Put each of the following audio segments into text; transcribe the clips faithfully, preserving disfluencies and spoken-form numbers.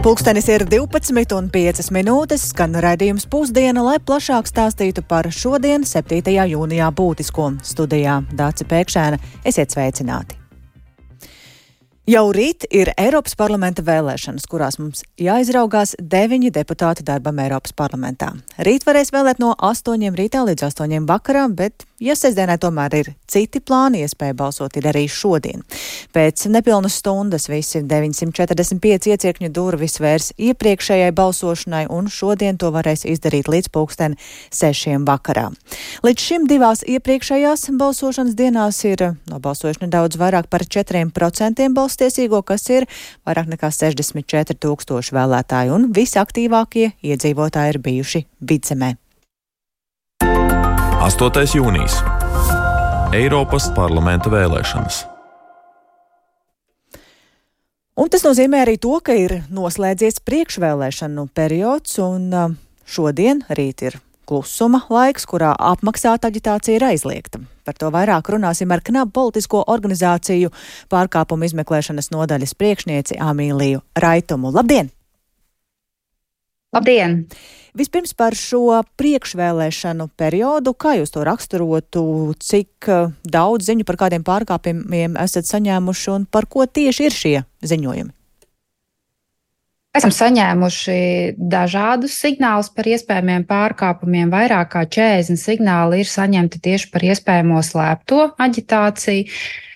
Pulkstenis ir divpadsmit un piecas minūtes, skan raidījums Pusdiena, lai plašāk stāstītu par šodien, septītajā jūnijā būtisko. Studijā Dāce Pēkšēna, esiet sveicināti. Jau rīt ir Eiropas parlamenta vēlēšanas, kurās mums jāizraugās deviņi deputāti darbam Eiropas parlamentā. Rīt varēs vēlēt no astoņiem rītā līdz astoņiem vakarā, bet, ja sestdienai tomēr ir citi plāni, iespēja balsot ir arī šodien. Pēc nepilnas stundas visi deviņsimt četrdesmit pieci iecirkņu durvis vērs iepriekšējai balsošanai, un šodien to varēs izdarīt līdz pulksten sešiem vakarā. Līdz šim divās iepriekšējās balsošanas dienās ir nobalsojuši nedaudz vairāk par četriem procentiem balsošanas tiesīgo, kas ir vairāk nekā sešdesmit četri tūkstoši vēlētāji, un visaktīvākie iedzīvotāji ir bijuši Vidzemē. astotais jūnijas. Eiropas parlamenta vēlēšanas. Un tas nozīmē arī to, ka ir noslēdzies priekšvēlēšanu periods, un šodien, rīt ir klusuma laiks, kurā apmaksāta aģitācija ir aizliegta. Par to vairāk runāsim ar Knabu politisko organizāciju pārkāpumu izmeklēšanas nodaļas priekšnieci Amīliju Raitumu. Labdien! Labdien! Vispirms par šo priekšvēlēšanu periodu. Kā jūs to raksturotu? Cik daudz ziņu par kādiem pārkāpumiem esat saņēmuši un par ko tieši ir šie ziņojumi? Esam saņēmuši dažādus signālus par iespējamiem pārkāpumiem. Vairāk kā četrdesmit signāli ir saņemti tieši par iespējamo slēpto aģitāciju.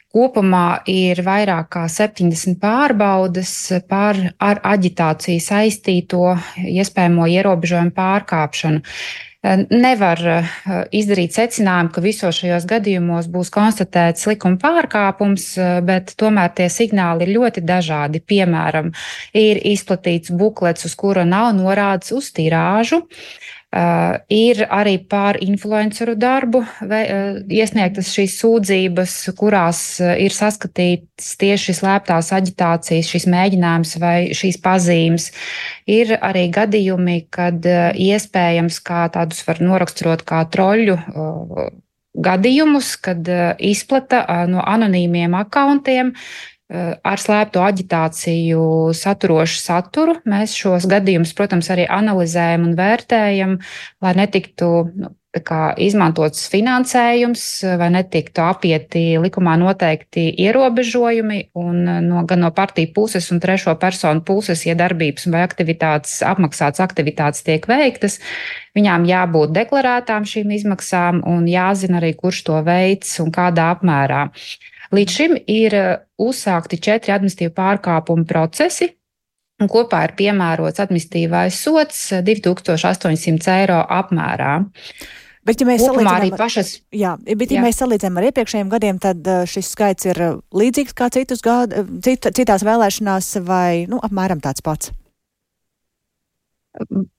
Kopumā ir vairāk kā septiņdesmit pārbaudes par ar aģitāciju saistīto iespējamo ierobežojumu pārkāpšanu. Nevar izdarīt secinājumu, ka visos šajos gadījumos būs konstatēts likuma pārkāpums, bet tomēr tie signāli ir ļoti dažādi. Piemēram, ir izplatīts buklets, uz kura nav norādes uz tirāžu. Uh, ir arī par influenceru darbu vai, uh, iesniegtas šīs sūdzības, kurās uh, ir saskatīts tieši slēptās aģitācijas, šīs mēģinājums vai šīs pazīmes. Ir arī gadījumi, kad uh, iespējams, kā tādus var noraksturot kā troļu uh, gadījumus, kad uh, izplata uh, no anonīmiem akauntiem ar slēpto aģitāciju saturošu saturu. Mēs šos gadījumus, protams, arī analizējam un vērtējam, lai netiktu nu, kā izmantots finansējums vai netiktu apieti likumā noteikti ierobežojumi, un no, gan no partiju puses un trešo personu puses, ja darbības vai aktivitātes, apmaksātas aktivitātes tiek veiktas, viņām jābūt deklarētām šīm izmaksām un jāzina arī, kurš to veids un kādā apmērā. Līdz šim ir uzsākti četri administratīvu pārkāpumu procesi, un kopā ir piemērots administratīvais sods divi tūkstoši astoņsimt eiro apmērā. Bet, ja mēs salīdzinām, pašas, jā, bet, ja jā. mēs salīdzinām ar iepriekšējiem gadiem, tad šis skaits ir līdzīgs kā citus gadu, cit, citās vēlēšanās vai nu, apmēram tāds pats?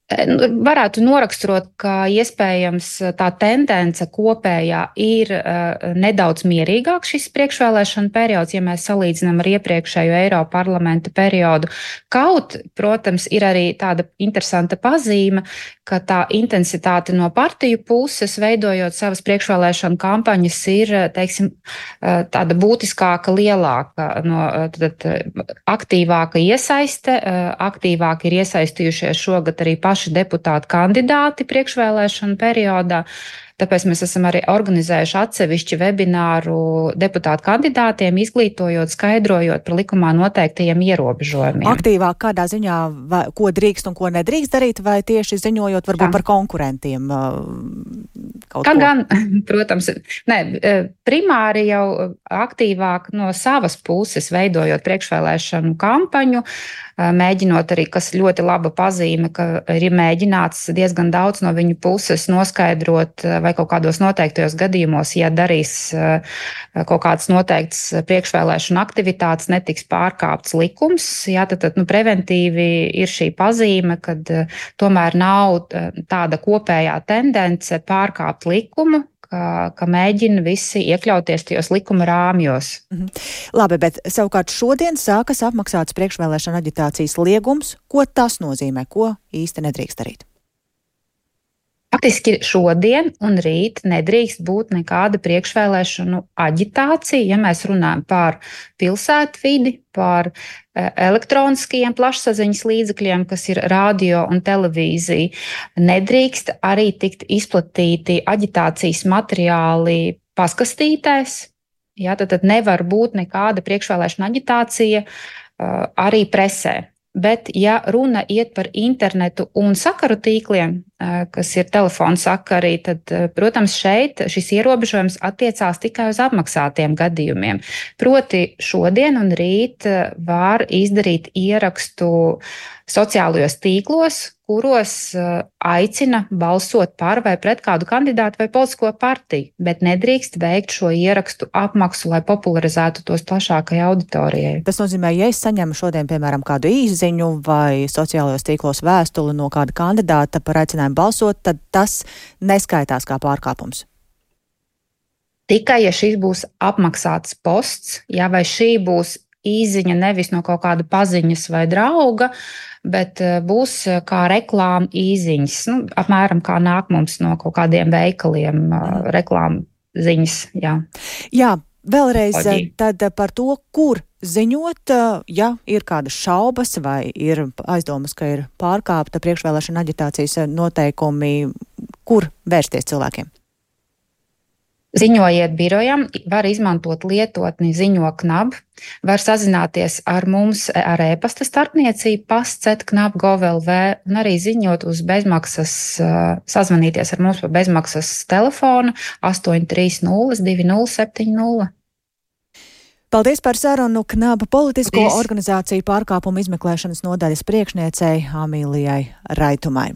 Varētu noraksturot, ka iespējams tā tendence kopējā ir uh, nedaudz mierīgāk šis priekšvēlēšana periods, ja mēs salīdzinām ar iepriekšējo Eiropa parlamenta periodu. Kaut, protams, ir arī tāda interesanta pazīme, ka tā intensitāte no partiju puses, veidojot savas priekšvēlēšana kampaņas, ir, teiksim, uh, tāda būtiskāka, lielāka, no, tad, aktīvāka iesaiste, uh, aktīvāk ir iesaistījušies šogad arī paši deputāti kandidāti priekšvēlēšanu periodā. Tāpēc mēs esam arī organizējuši atsevišķi webināru deputātu kandidātiem, izglītojot, skaidrojot par likumā noteiktajiem ierobežojumiem. Aktīvāk kādā ziņā, vai, ko drīkst un ko nedrīkst darīt, vai tieši ziņojot varbūt Jā. par konkurentiem? Kaut Kā ko? Gan, protams, ne, primāri jau aktīvāk no savas puses veidojot priekšvēlēšanu kampaņu, mēģinot arī, kas ļoti laba pazīme, ka ir mēģināts diezgan daudz no viņu puses noskaidrot, vai kaut kādos noteiktajos gadījumos, ja darīs kaut kādas noteiktas priekšvēlēšana aktivitātes, netiks pārkāpts likums. Jā, tad, tad nu, preventīvi ir šī pazīme, kad tomēr nav tāda kopējā tendence pārkāpt likumu, Ka, ka mēģina visi iekļauties tajos likuma rāmjos. Mhm. Labi, bet savukārt šodien sākas apmaksāts priekšvēlēšana aģitācijas liegums. Ko tas nozīmē? Ko īsti nedrīkst darīt? Faktiski šodien un rīt nedrīkst būt nekāda priekšvēlēšanu aģitācija, ja mēs runājam par pilsētu vidi, par elektroniskajiem plašsaziņas līdzekļiem, kas ir radio un televīzija. Nedrīkst arī tikt izplatīti aģitācijas materiāli paskastītēs. Ja, tad, tad nevar būt nekāda priekšvēlēšana aģitācija arī presē. Bet, ja runa iet par internetu un sakaru tīkliem, kas ir telefona sakari, tad, protams, šeit šis ierobežojums attiecās tikai uz apmaksātiem gadījumiem. Proti, šodien un rīt var izdarīt ierakstu sociālajos tīklos, kuros aicina balsot par vai pret kādu kandidātu vai politisko partiju, bet nedrīkst veikt šo ierakstu apmaksu, lai popularizētu tos plašākai auditorijai. Tas nozīmē, ja es saņemu šodien, piemēram, kādu īsziņu vai sociālajos tīklos vēstuli no kāda kandidāta par aicinājumu balsot, tad tas neskaitās kā pārkāpums. Tikai, ja šis būs apmaksāts posts, ja vai šī būs īziņa nevis no kaut kāda paziņas vai drauga, bet būs kā reklāma īziņas, nu, apmēram kā nāk mums no kaut kādiem veikaliem mm. reklāma ziņas. Jā, jā vēlreiz Oģi. Tad par to, kur ziņot, ja ir kādas šaubas vai ir aizdomas, ka ir pārkāpta priekšvēlēšana aģitācijas noteikumi, kur vērsties cilvēkiem? Ziņojiet birojam, var izmantot lietotni ziņo knab, var sazināties ar mums ar e-pasta starpniecību pasts et knab punkt gov punkt el vē un arī ziņot uz bezmaksas, sazvanīties ar mums pa bezmaksas telefonu astoņi trīs nulle divi nulle septiņi nulle. Paldies par sarunu Knaba politisko Paldies. Organizāciju pārkāpumu izmeklēšanas nodaļas priekšniecei Amīlijai Raitumai.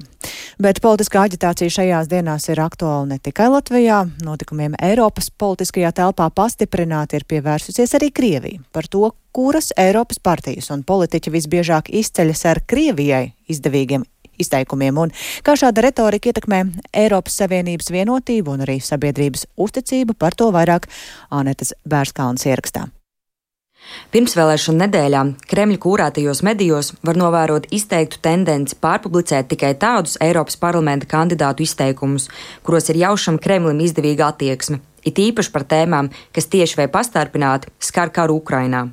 Bet politiskā aģitācija šajās dienās ir aktuāla ne tikai Latvijā. Notikumiem Eiropas politiskajā telpā pastiprināti ir pievērsusies arī Krievija. Par to, kuras Eiropas partijas un politiķi visbiežāk izceļas ar Krievijai izdevīgiem izteikumiem un kā šāda retorika ietekmē Eiropas Savienības vienotību un arī sabiedrības uzticību, par to vairāk Ānetes Bērskalnes ierakstā. Pirmsvēlēšanu nedēļā Kremļa kūrētajos medijos var novērot izteiktu tendenci pārpublicēt tikai tādus Eiropas parlamenta kandidātu izteikumus, kuros ir jaušama Kremlim izdevīga attieksme, it īpaši par tēmām, kas tieši vai pastarpināti skar karu Ukrainā.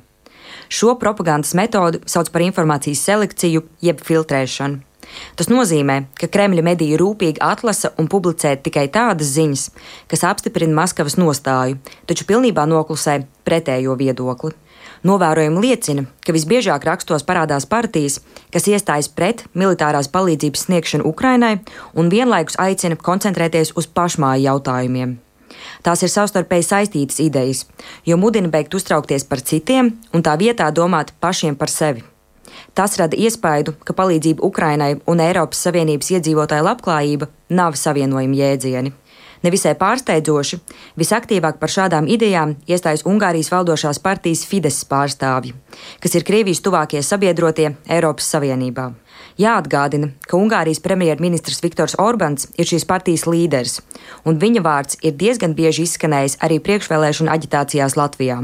Šo propagandas metodu sauc par informācijas selekciju jeb filtrēšanu. Tas nozīmē, ka Kremļa mediji rūpīgi atlasa un publicē tikai tādas ziņas, kas apstiprina Maskavas nostāju, taču pilnībā noklusē pretējo viedokli. Novērojumi liecina, ka visbiežāk rakstos parādās partijas, kas iestājas pret militārās palīdzības sniegšanu Ukrainai un vienlaikus aicina koncentrēties uz pašmāju jautājumiem. Tās ir savstarpēji saistītas idejas, jo mudina beigt uztraukties par citiem un tā vietā domāt pašiem par sevi. Tas rada iespaidu, ka palīdzība Ukrainai un Eiropas Savienības iedzīvotāju labklājība nav savienojami jēdzieni. Nevisai pārsteidzoši, visaktīvāk par šādām idejām iestājas Ungārijas valdošās partijas Fidesz pārstāvji, kas ir Krievijas tuvākie sabiedrotie Eiropas Savienībā. Jāatgādina, ka Ungārijas premjerministrs Viktors Orbans ir šīs partijas līderis, un viņa vārds ir diezgan bieži izskanējis arī priekšvēlēšanu aģitācijās Latvijā.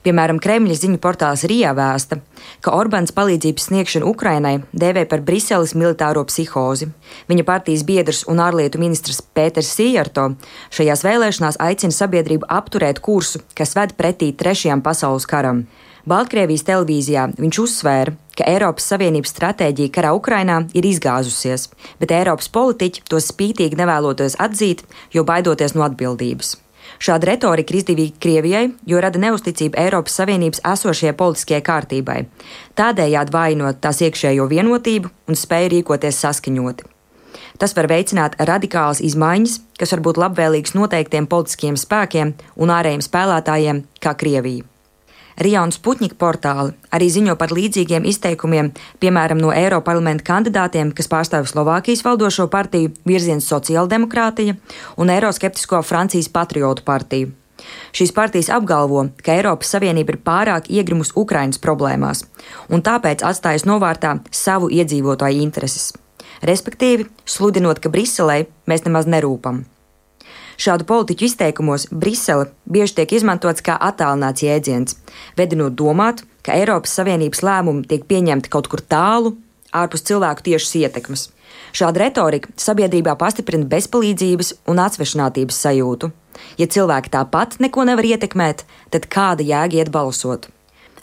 Piemēram, Kremļa ziņu portāls Rijā vēsta, ka Orbāns palīdzības sniegšanu Ukrainai dēvē par Briseles militāro psihozi. Viņa partijas biedrs un ārlietu ministrs Pēters Sijjarto šajās vēlēšanās aicina sabiedrību apturēt kursu, kas ved pretī trešajam pasaules karam. Baltkrievijas televīzijā viņš uzsvēra, ka Eiropas Savienības stratēģija karā Ukrainā ir izgāzusies, bet Eiropas politiķi to spītīgi nevēloties atzīt, jo baidoties no atbildības. Šāda retorika ir izdevīga Krievijai, jo rada neusticību Eiropas Savienības esošajai politiskajai kārtībai, tādējādi vājinot tās iekšējo vienotību un spēju rīkoties saskaņoti. Tas var veicināt radikālas izmaiņas, kas var būt labvēlīgas noteiktiem politiskiem spēkiem un ārējiem spēlētājiem kā Krievija. Rijā un Sputņika portāli arī ziņo par līdzīgiem izteikumiem, piemēram, no Eiroparlamenta kandidātiem, kas pārstāv Slovākijas valdošo partiju Virziens sociāldemokrātija un eiroskeptisko Francijas patriotu partiju. Šīs partijas apgalvo, ka Eiropas Savienība ir pārāk iegrimus Ukrainas problēmās un tāpēc atstājas novārtā savu iedzīvotāju intereses, respektīvi sludinot, ka Briselei mēs nemaz nerūpam. Šādu politiķu izteikumos Brisele bieži tiek izmantots kā attālināts jēdziens, vedinot domāt, ka Eiropas Savienības lēmumi tiek pieņemti kaut kur tālu, ārpus cilvēku tiešas ietekmes. Šāda retorika sabiedrībā pastiprina bezpalīdzības un atsvešinātības sajūtu. Ja cilvēki tāpat neko nevar ietekmēt, tad kāda jēga iet balsot?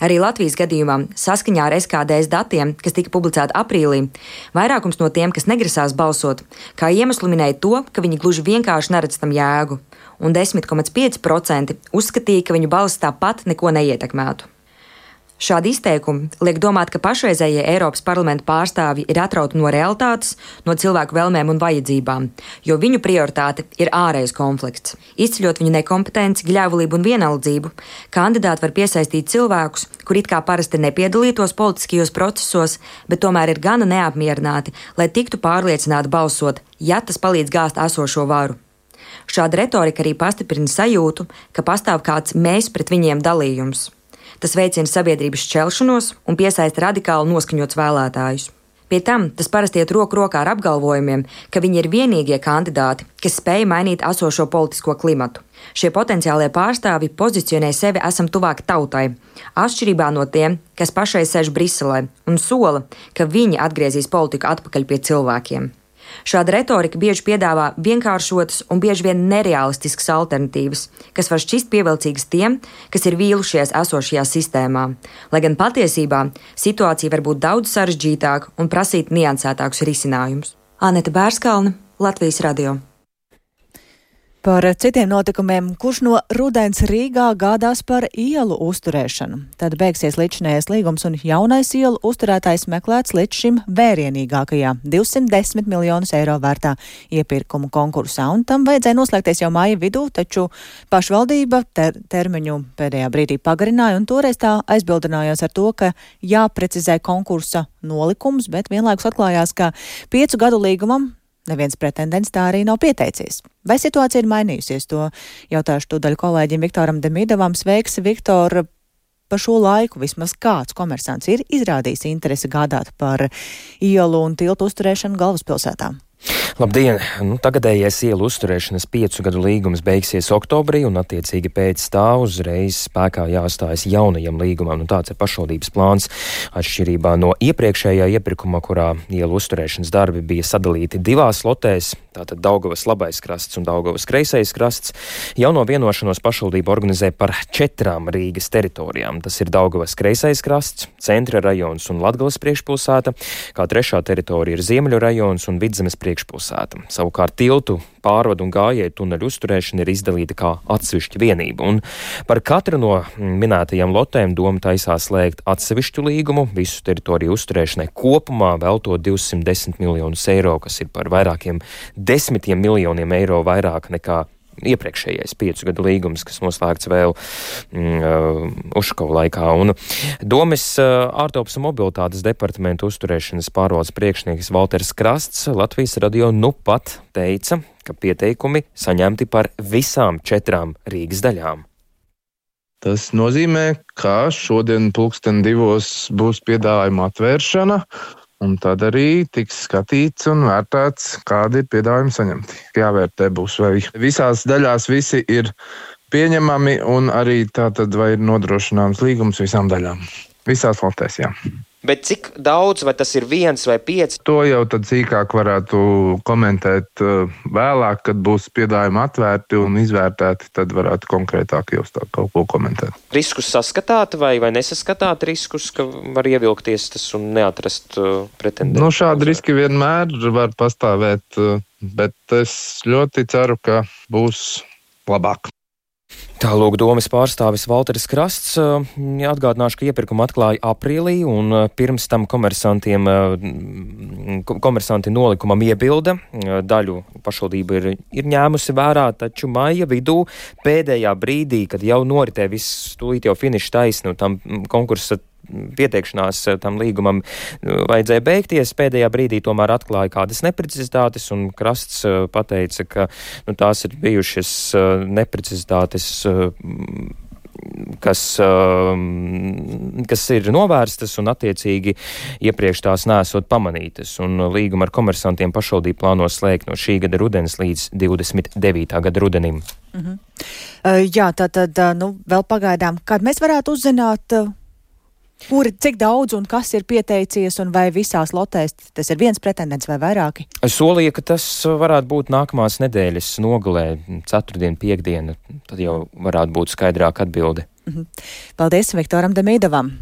Arī Latvijas gadījumā, saskaņā ar S K D S datiem, kas tika publicēti aprīlī, vairākums no tiem, kas negrasās balsot, kā iemeslu minēja to, ka viņi gluži vienkārši neredz tam jēgu, un desmit komats pieci procenti uzskatīja, ka viņu balss tāpat neko neietekmētu. Šādi izteikumi liek domāt, ka pašreizējie Eiropas parlamenta pārstāvji ir atrauti no realitātes, no cilvēku vēlmēm un vajadzībām, jo viņu prioritāte ir ārējais konflikts. Izceļot viņu nekompetenci, gļēvulību un vienaldzību, kandidāti var piesaistīt cilvēkus, kur it kā parasti nepiedalītos politiskajos procesos, bet tomēr ir gana neapmierināti, lai tiktu pārliecināti balsot, ja tas palīdz gāzt esošo varu. Šāda retorika arī pastiprina sajūtu, ka pastāv kāds mēs pret viņiem dalījums. Tas veicina sabiedrības šķelšanos un piesaista radikāli noskaņots vēlētājus. Pie tam tas parasti iet roku rokā ar apgalvojumiem, ka viņi ir vienīgie kandidāti, kas spēj mainīt esošo politisko klimatu. Šie potenciālie pārstāvji pozicionē sevi esam tuvāk tautai, atšķirībā no tiem, kas pašai sēž Briselē un sola, ka viņi atgriezīs politiku atpakaļ pie cilvēkiem. Šāda retorika bieži piedāvā vienkāršotas un bieži vien nereālistiskas alternatīvas, kas var šķist pievilcīgas tiem, kas ir vīlušies esošajā sistēmā, lai gan patiesībā situācija var būt daudz sarežģītāka un prasīt niansētākus risinājumus. Anete Bērskalne, Latvijas radio. Par citiem notikumiem, kurš no rudens Rīgā gādās par ielu uzturēšanu. Tad beigsies līdzinējais līgums un jaunais ielu uzturētājs meklēts līdz šim vērienīgākajā divsimt desmit miljonus eiro vērtā iepirkumu konkursā, un tam vajadzēja noslēgties jau māja vidū, taču pašvaldība ter termiņu pēdējā brīdī pagarināja, un toreiz tā aizbildinājās ar to, ka jāprecizē konkursa nolikums, bet vienlaikus atklājās, ka piecu gadu līgumam neviens pretendents tā arī nav pieteicies. Vai situācija ir mainījusies? To jautāšu tūdaļ kolēģim Viktoram Demidovam. Sveiks, Viktor! Pa šo laiku vismaz kāds komersants ir izrādījis interesi gādāt par ielu un tiltu uzturēšanu galvaspilsētā? Labdien! Nu, tagadējais ielu uzturēšanas piecu gadu līgums beigsies oktobrī, un attiecīgi pēc tā uzreiz spēkā jāstājas jaunajam līgumam. Nu, tāds ir pašvaldības plāns. Atšķirībā no iepriekšējā iepirkuma, kurā ielu uzturēšanas darbi bija sadalīti divās lotēs, tātad Daugavas labais krasts un Daugavas kreisais krasts, jauno vienošanos pašvaldība organizē par četrām Rīgas teritorijām. Tas ir Daugavas kreisais krasts, Centra rajons un Latgales priekšpilsēta, kā trešā teritorija ir Ziemeļu rajons un Vidzemes priekšpilsēta. Savukārt tiltu, pārvadu un gājēju tuneļu uzturēšana ir izdalīta kā atsevišķa vienība, un par katru no minētajām lotēm doma taisās slēgt atsevišķu līgumu, visu teritoriju uzturēšanai kopumā veltot divsimt desmit miljonus eiro, kas ir par vairākiem desmitiem miljoniem eiro vairāk nekā iepriekšējais piecu gadu līgums, kas noslēgts vēl mm, Ušakova laikā. Un Domes uh, ārtelpas un mobilitātes departamenta uzturēšanas pārvaldes priekšnieks Valters Krasts Latvijas radio nu pat teica, ka pieteikumi saņemti par visām četrām Rīgas daļām. Tas nozīmē, ka šodien pulksten divos būs piedāvājuma atvēršana, un tad arī tiks skatīts un vērtēts, kādi ir piedāvājumi saņemti. Jāvērtē būs, vai visās daļās visi ir pieņemami un arī tātad vai ir nodrošināms līgums visām daļām. Visās lotēs, jā. Bet cik daudz, vai tas ir viens vai pieci? To jau tad sīkāk varētu komentēt vēlāk, kad būs piedāvājumi atvērti un izvērtēti, tad varētu konkrētāk jau tā kaut ko komentēt. Riskus saskatāt vai, vai nesaskatāt riskus, ka var ievilkties tas un neatrast uh, pretendentu? Nu, šādi riski vienmēr var pastāvēt, bet es ļoti ceru, ka būs labāk. Tālūk domes pārstāvis Valteris Krasts. Atgādināšu, ka iepirkumu atklāja aprīlī, un pirms tam komersantiem, komersanti nolikumam iebilda. Daļu pašvaldība ir, ir ņēmusi vērā, taču maija vidū pēdējā brīdī, kad jau noritē viss tūlīt jau finiša taisnu, tam konkursa pieteikšanās tam līgumam vajadzēja beigties. Pēdējā brīdī tomēr atklāja kādas neprecizitātes, un Krasts pateica, ka nu, tās ir bijušas neprecizitātes, kas, kas ir novērstas un attiecīgi iepriekš tās nesot pamanītas. Un līgumu ar komersantiem pašvaldība plāno slēgt no šī gada rudens līdz divdesmit devītā gada rudenim. Mhm. Uh, jā, tātad, nu, vēl pagaidām, kad mēs varētu uzzināt, Kuri, cik daudz un kas ir pieteicies, un vai visās lotēs tas ir viens pretendents vai vairāki? Es solīju, ka tas varētu būt nākamās nedēļas nogalē, ceturtdien, piekdiena, tad jau varētu būt skaidrāka atbilde. Mhm. Paldies Viktoram Demīdovam.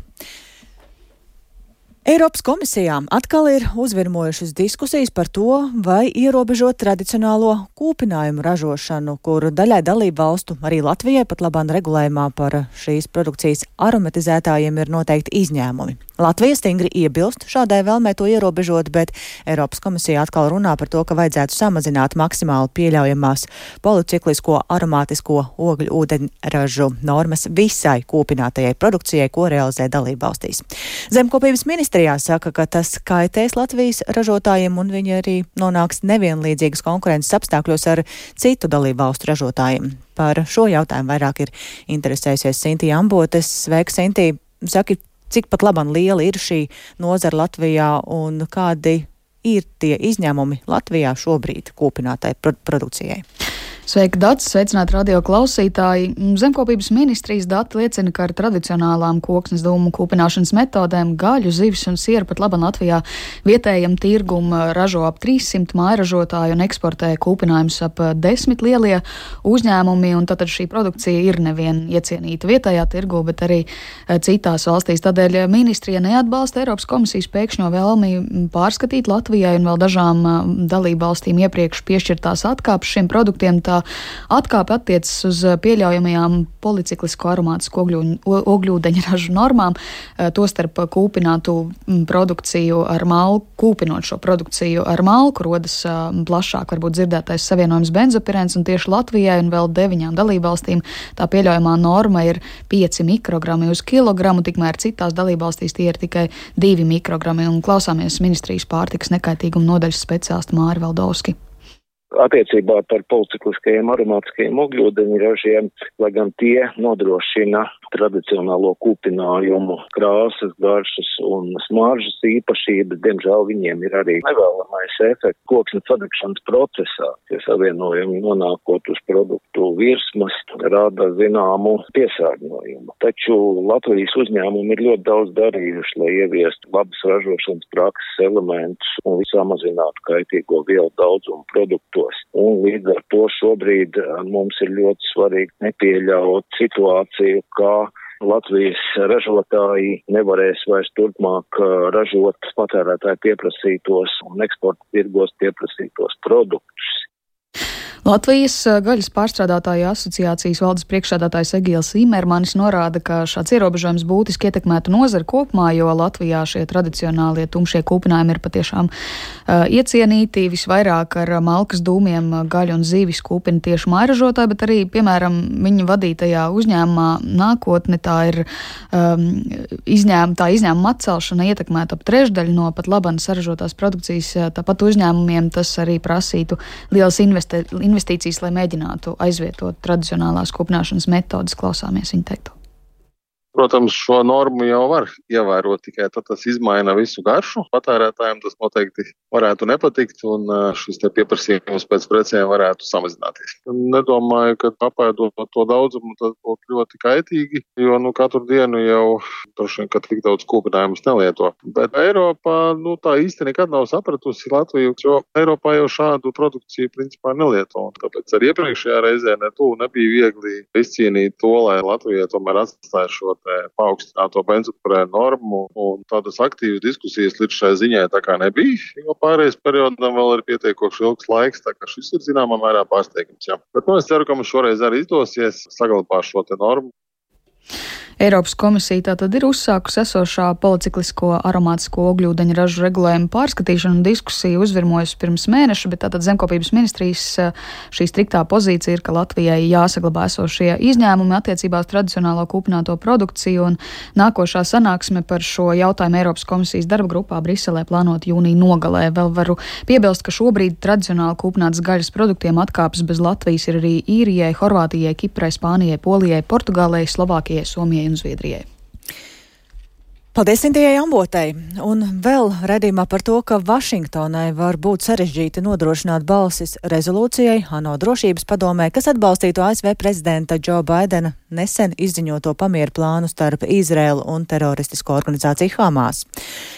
Eiropas komisijā atkal ir uzvirmojušas diskusijas par to, vai ierobežot tradicionālo kūpinājumu ražošanu, kur daļai dalību valstu, arī Latvijai pat labāk regulējumā par šīs produkcijas aromatizētājiem ir noteikti izņēmumi. Latvija stingri iebilst šādai vēlmē to ierobežot, bet Eiropas komisija atkal runā par to, ka vajadzētu samazināt maksimāli pieļaujamās policiklisko aromātisko ogļu ūdeņražu normas visai kūpinātajai produkcijai, ko realizē dalību valstīs. Zemkopības ministrijā saka, ka tas kaitēs Latvijas ražotājiem un viņi arī nonāks nevienlīdzīgas konkurences apstākļos ar citu dalību valstu ražotājiem. Par šo jautājumu vairāk ir interesējusies Sintija Ambotes. Sveika, Sintija! Saki, cik pat labam liela ir šī nozara Latvijā un kādi ir tie izņēmumi Latvijā šobrīd kūpinātai produkcijai? Sveiki, Dats! Sveicināti radio klausītāji! Zemkopības ministrijas dati liecina, ka ar tradicionālām koksnes dūmu kūpināšanas metodēm gaļu, zivis un sieru pat labam Latvijā vietējam tirgum ražo ap trīssimt mājražotāju un eksportē kūpinājumus ap desmit lielie uzņēmumi, un tātad šī produkcija ir nevien iecienīta vietējā tirgu, bet arī citās valstīs. Tādēļ ministrija neatbalsta Eiropas komisijas pēkšņo vēlmi pārskatīt Latvijai un vēl dažām dalību valstīm iepriekš piešķirtās atkāpes šiem produktiem. Tā atkāpe attiecas uz pieļaujamajām policiklisko aromātisku ogļūdeņražu normām, tostarp kūpinātu produkciju ar malku, kūpinot šo produkciju ar malku, rodas plašāk varbūt dzirdētais savienojums benzopirēns, un tieši Latvijai un vēl deviņām dalībvalstīm tā pieļaujamā norma ir pieci mikrogrami uz kilogramu, tikmēr citās dalībvalstīs tie ir tikai divi mikrogrami, un klausāmies ministrijas pārtikas nekaitīguma nodaļas speciālistu Māri Valdovski. Attiecībā par policikliskajiem aromātiskajiem ogļūdeņražiem, lai gan tie nodrošina tradicionālo kūpinājumu krāsas, garšas un smaržas īpašības, diemžēl viņiem ir arī nevēlamais efekts koksnes sadegšanas procesā. Tie savienojumi nonākot uz produktu virsmas rada zināmu piesārņojumu. Taču Latvijas uzņēmumi ir ļoti daudz darījuši, lai ieviestu labas ražošanas prakses elementus un samazinātu kaitīgo vielu daudzumu produktu. Un līdz ar to šobrīd mums ir ļoti svarīgi nepieļaut situāciju, kā Latvijas ražotāji nevarēs vairs turpmāk ražot patērētāju pieprasītos un eksporta tirgos pieprasītos produktus. Latvijas gaļas pārstrādātāju asociācijas valdes priekšsēdētājs Egīls Imermanis norāda, ka šāds ierobežojums būtiski ietekmētu nozari kopumā, jo Latvijā šie tradicionālie tumšie kūpinājumi ir patiešām uh, iecienīti. Visvairāk ar malkas dūmiem gaļu un zīvis kūpina tieši mājražotāji, bet arī, piemēram, viņa vadītajā uzņēmumā nākotne tā ir um, izņēmuma, tā izņēmuma atcelšana ietekmētu ap trešdaļu no pat laban saražotās produkcijas. Tāpat uzņēmumiem tas arī prasītu lielas investīcijas. investīcijas, lai mēģinātu aizvietot tradicionālās kūpināšanas metodas. Klausāmies viņa teikto. Protams, šo normu jau var ievērot, tikai tad tas izmaina visu garšu. Patērētājiem tas noteikti varētu nepatikt, un šis te pieprasījums pēc precēm varētu samazināties. Nedomāju, ka apēdot to daudzumu, tas būtu ļoti kaitīgi, jo nu, katru dienu jau droši vien, ka tik daudz kūpinājumus nelieto. Bet Eiropā nu, tā īsti nekad nav sapratusi Latviju, jo Eiropā jau šādu produkciju principā nelieto. Un tāpēc arī iepriekšējā reizē ne tu nebija viegli izcīnīt to, lai Latvija tomēr atstāja šo paaugstināto benzopirēnu normu, un tādas aktīvas diskusijas līdz šai ziņai tā kā nebija, jo pārējais periodam vēl ir pietiekoši ilgs laiks, tā kā šis ir zināmā mērā pārsteigums. Jā. Bet nu, es ceru, ka mums šoreiz arī izdosies saglabāt šo te normu. Eiropas komisija tātad ir uzsākusi esošā policiklisko aromātisko ogļūdeņražu regulējumu pārskatīšanu un diskusiju uzvirmojusi pirms mēneša, bet tātad Zemkopības ministrijas šī striktā pozīcija ir, ka Latvijai jāsaglabā esošie izņēmumi attiecībā uz tradicionālo kūpināto produkciju, un nākošā sanāksme par šo jautājumu Eiropas komisijas darba grupā Briselē plānot jūnija nogalē. Vēl varu piebilst, ka šobrīd tradicionāli kūpinātas gaļas produktiem atkāpes bez Latvijas ir arī Īrijai, Horvātijai, Kiprai, Spānijai, Polijai, Portugālei, Slovākijai, Somijai un Zviedrijai. Paldies Sintijai Ambotei. Un vēl redzījumā par to, ka Vašingtonai var būt sarežģīti nodrošināt balsis rezolūcijai ANO drošības padomē, kas atbalstītu A S V prezidenta Džo Baidena nesen izziņoto pamieru plānu starp Izraēlu un teroristisko organizāciju Hamas.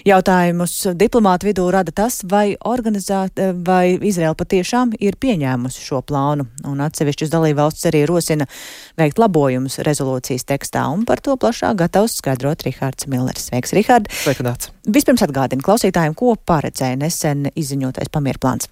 Jautājumus diplomātu vidū rada tas, vai, vai Izraēla patiešām ir pieņēmusi šo plānu, un atsevišķus dalībvalstis arī rosina veikt labojumus rezolūcijas tekstā, un par to plašāk gatavs skaidrot Rihards Millers. Sveiks, Rihard! Sveikadāts! Vispirms atgādina klausītājiem, ko paredzēja nesen izziņotais pamieru plāns.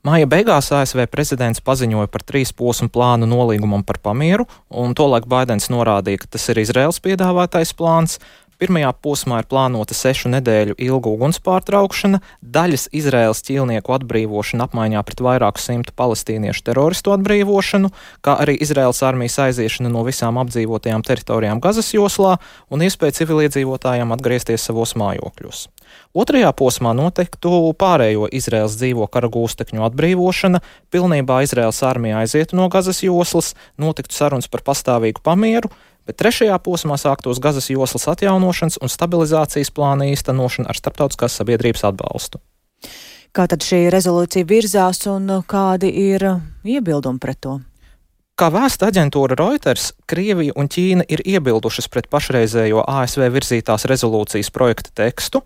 Māja beigās A S V prezidents paziņoja par trīs posmu plānu nolīgumam par pamieru, un tolaik Baidens norādīja, ka tas ir Izraēlas piedāvātais plāns. Pirmajā posmā ir plānota sešu nedēļu ilga uguns pārtraukšana, daļas Izraēlas ķīlnieku atbrīvošana apmaiņā pret vairāku simtu palestīniešu teroristu atbrīvošanu, kā arī Izraēlas armijas aiziešana no visām apdzīvotajām teritorijām Gazas joslā un iespēja civiliedzīvotājiem atgriezties savos mājokļos. Otrajā posmā noteiktu pārējo Izraēlas dzīvo kara gūstekņu atbrīvošana, pilnībā Izraēlas armija aizietu no Gazas joslas, notiktu sarunas par pastāvīgu pamieru, bet trešajā posmā sāktos Gazas joslas atjaunošanas un stabilizācijas plāna īstenošana ar starptautiskās sabiedrības atbalstu. Kā tad šī rezolūcija virzās un kādi ir iebildumi pret to? Kā vēsta aģentūra Reuters, Krievija un Ķīna ir iebildušas pret pašreizējo A S V virzītās rezolūcijas projekta tekstu.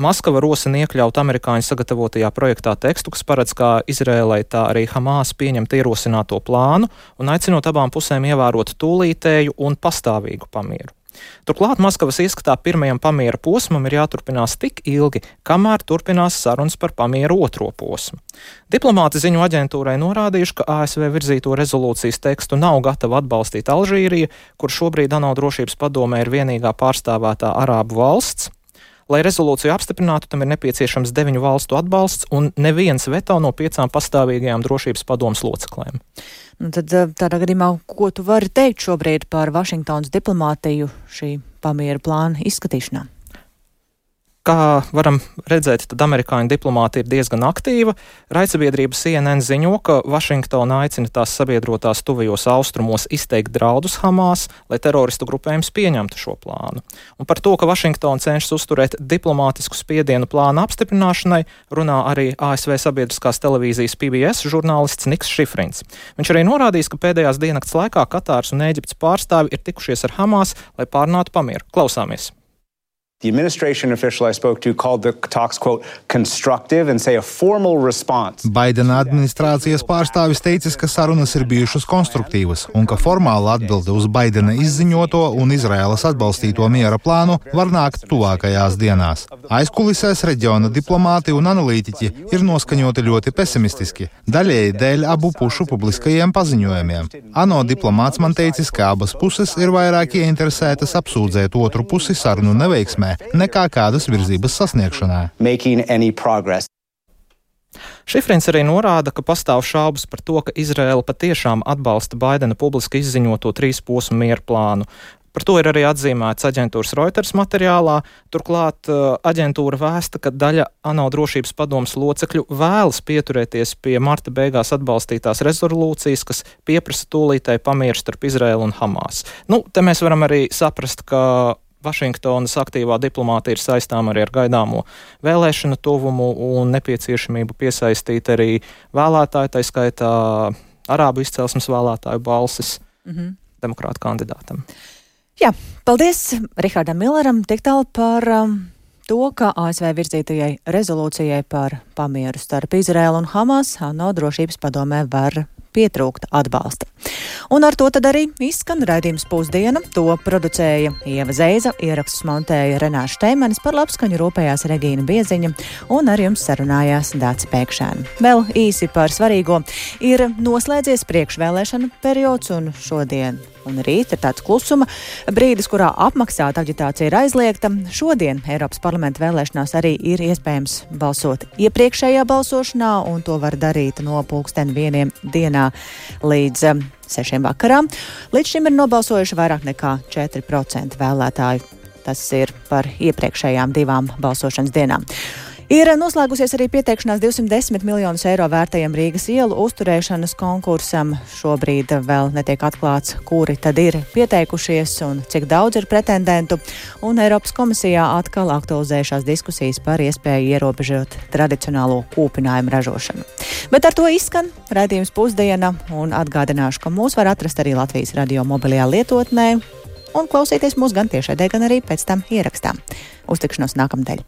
Maskava rosina iekļaut amerikāņu sagatavotajā projektā tekstu, kas paredz kā Izrēlai, tā arī Hamas pieņemt ierosināto plānu un aicinot abām pusēm ievērot tūlītēju un pastāvīgu pamieru. Turklāt Maskavas ieskatā pirmajam pamiera posmam ir jāturpinās tik ilgi, kamēr turpinās sarunas par pamieru otro posmu. Diplomāti ziņu aģentūrai norādījuši, ka A S V virzīto rezolūcijas tekstu nav gatava atbalstīt Alžīrija, kur šobrīd ANO drošības padomē ir vienīgā pārstāvētā arābu valsts. Lai rezolūciju apstiprinātu, tam ir nepieciešams deviņu valstu atbalsts un neviens veto no piecām pastāvīgajām drošības padomes loceklēm. Nu tad tādā gadījumā, ko tu vari teikt šobrīd par Vašingtonas diplomātiju šī pamiera plāna izskatīšanā? Kā varam redzēt, tad amerikāņu diplomāti ir diezgan aktīva. Raidsabiedrība C N N ziņo, ka Vašingtona aicina tās sabiedrotās tuvajos austrumos izteikt draudus Hamas, lai teroristu grupējums pieņemtu šo plānu. Un par to, ka Vašingtona cenšas uzturēt diplomātisku spiedienu plāna apstiprināšanai, runā arī A S V sabiedriskās televīzijas P B S žurnālists Niks Šifrins. Viņš arī norādījis, ka pēdējās diennakts laikā Katāras un Ēģiptes pārstāvi ir tikušies ar Hamas, lai pārunātu pamieru. Klausāmies! The administration official I spoke to called the talks, quote, constructive and say a formal response. Baidena administrācijas pārstāvis teicis, ka sarunas ir bijušas konstruktīvas un ka formāla atbilde uz Baidena izziņoto un Izraēlas atbalstīto miera plānu var nākt tuvākajās dienās. Aizkulisēs reģiona diplomāti un analītiķi ir noskaņoti ļoti pesimistiski, daļēji dēļ abu pušu publiskajiem paziņojumiem. ANO diplomāts man teicis, ka abas puses ir vairāk ieinteresētas apsūdzēt otru pusi sarunu neveiksmē nekā kādas virzības sasniegšanā. Šifrins arī norāda, ka pastāv šaubas par to, ka Izraēla patiešām atbalsta Baidena publiski izziņoto trīs posmu miera plānu. Par to ir arī atzīmēts aģentūras Reuters materiālā. Turklāt aģentūra vēsta, ka daļa ANO drošības padomes locekļu vēlas pieturēties pie marta beigās atbalstītās rezolūcijas, kas pieprasa tūlītēju pamieru starp Izraēlu un Hamas. Nu, te mēs varam arī saprast, ka Vašingtonas aktīvā diplomātija ir saistām arī ar gaidāmo vēlēšanu tuvumu un nepieciešamību piesaistīt arī vēlētāju, tā skaitā arābu izcelsmes vēlētāju balsis mm-hmm. demokrāta kandidātam. Jā, paldies Rihardam Milleram tik tālu par um, to, ka A S V virzītajai rezolūcijai par pamieru starp Izraēlu un Hamas ANO drošības padomē var pietrūkta atbalsta. Un ar to tad arī izskan raidījums Pusdiena. To producēja Ieva Zeiza, ierakstus montēja Renāša Steimanis, par labskaņu rūpējās Regīna Bieziņa un ar jums sarunājās Dāca Pēkšēna. Vēl īsi par svarīgo. Ir noslēdzies priekšvēlēšanu periods un šodien un rīt ir tāds klusuma brīdis, kurā apmaksāta aģitācija ir aizliegta. Šodien Eiropas parlamenta vēlēšanās arī ir iespējams balsot iepriekšējā balsošanā, un to var darīt no pulksten vieniem dienā līdz sešiem vakarā. Līdz šim ir nobalsojuši vairāk nekā četri procenti vēlētāju. Tas ir par iepriekšējām divām balsošanas dienām. Ir noslēgusies arī pieteikšanās divsimt desmit miljonus eiro vērtajam Rīgas ielu uzturēšanas konkursam. Šobrīd vēl netiek atklāts, kuri tad ir pieteikušies un cik daudz ir pretendentu. Un Eiropas komisijā atkal aktualizējušās diskusijas par iespēju ierobežot tradicionālo kūpinājumu ražošanu. Bet ar to izskan raidījums Pusdiena un atgādināšu, ka mūs var atrast arī Latvijas radio mobilajā lietotnē un klausīties mūs gan tiešraidē, gan arī pēc tam ierakstā. Uz tikšanos nākamnedēļ.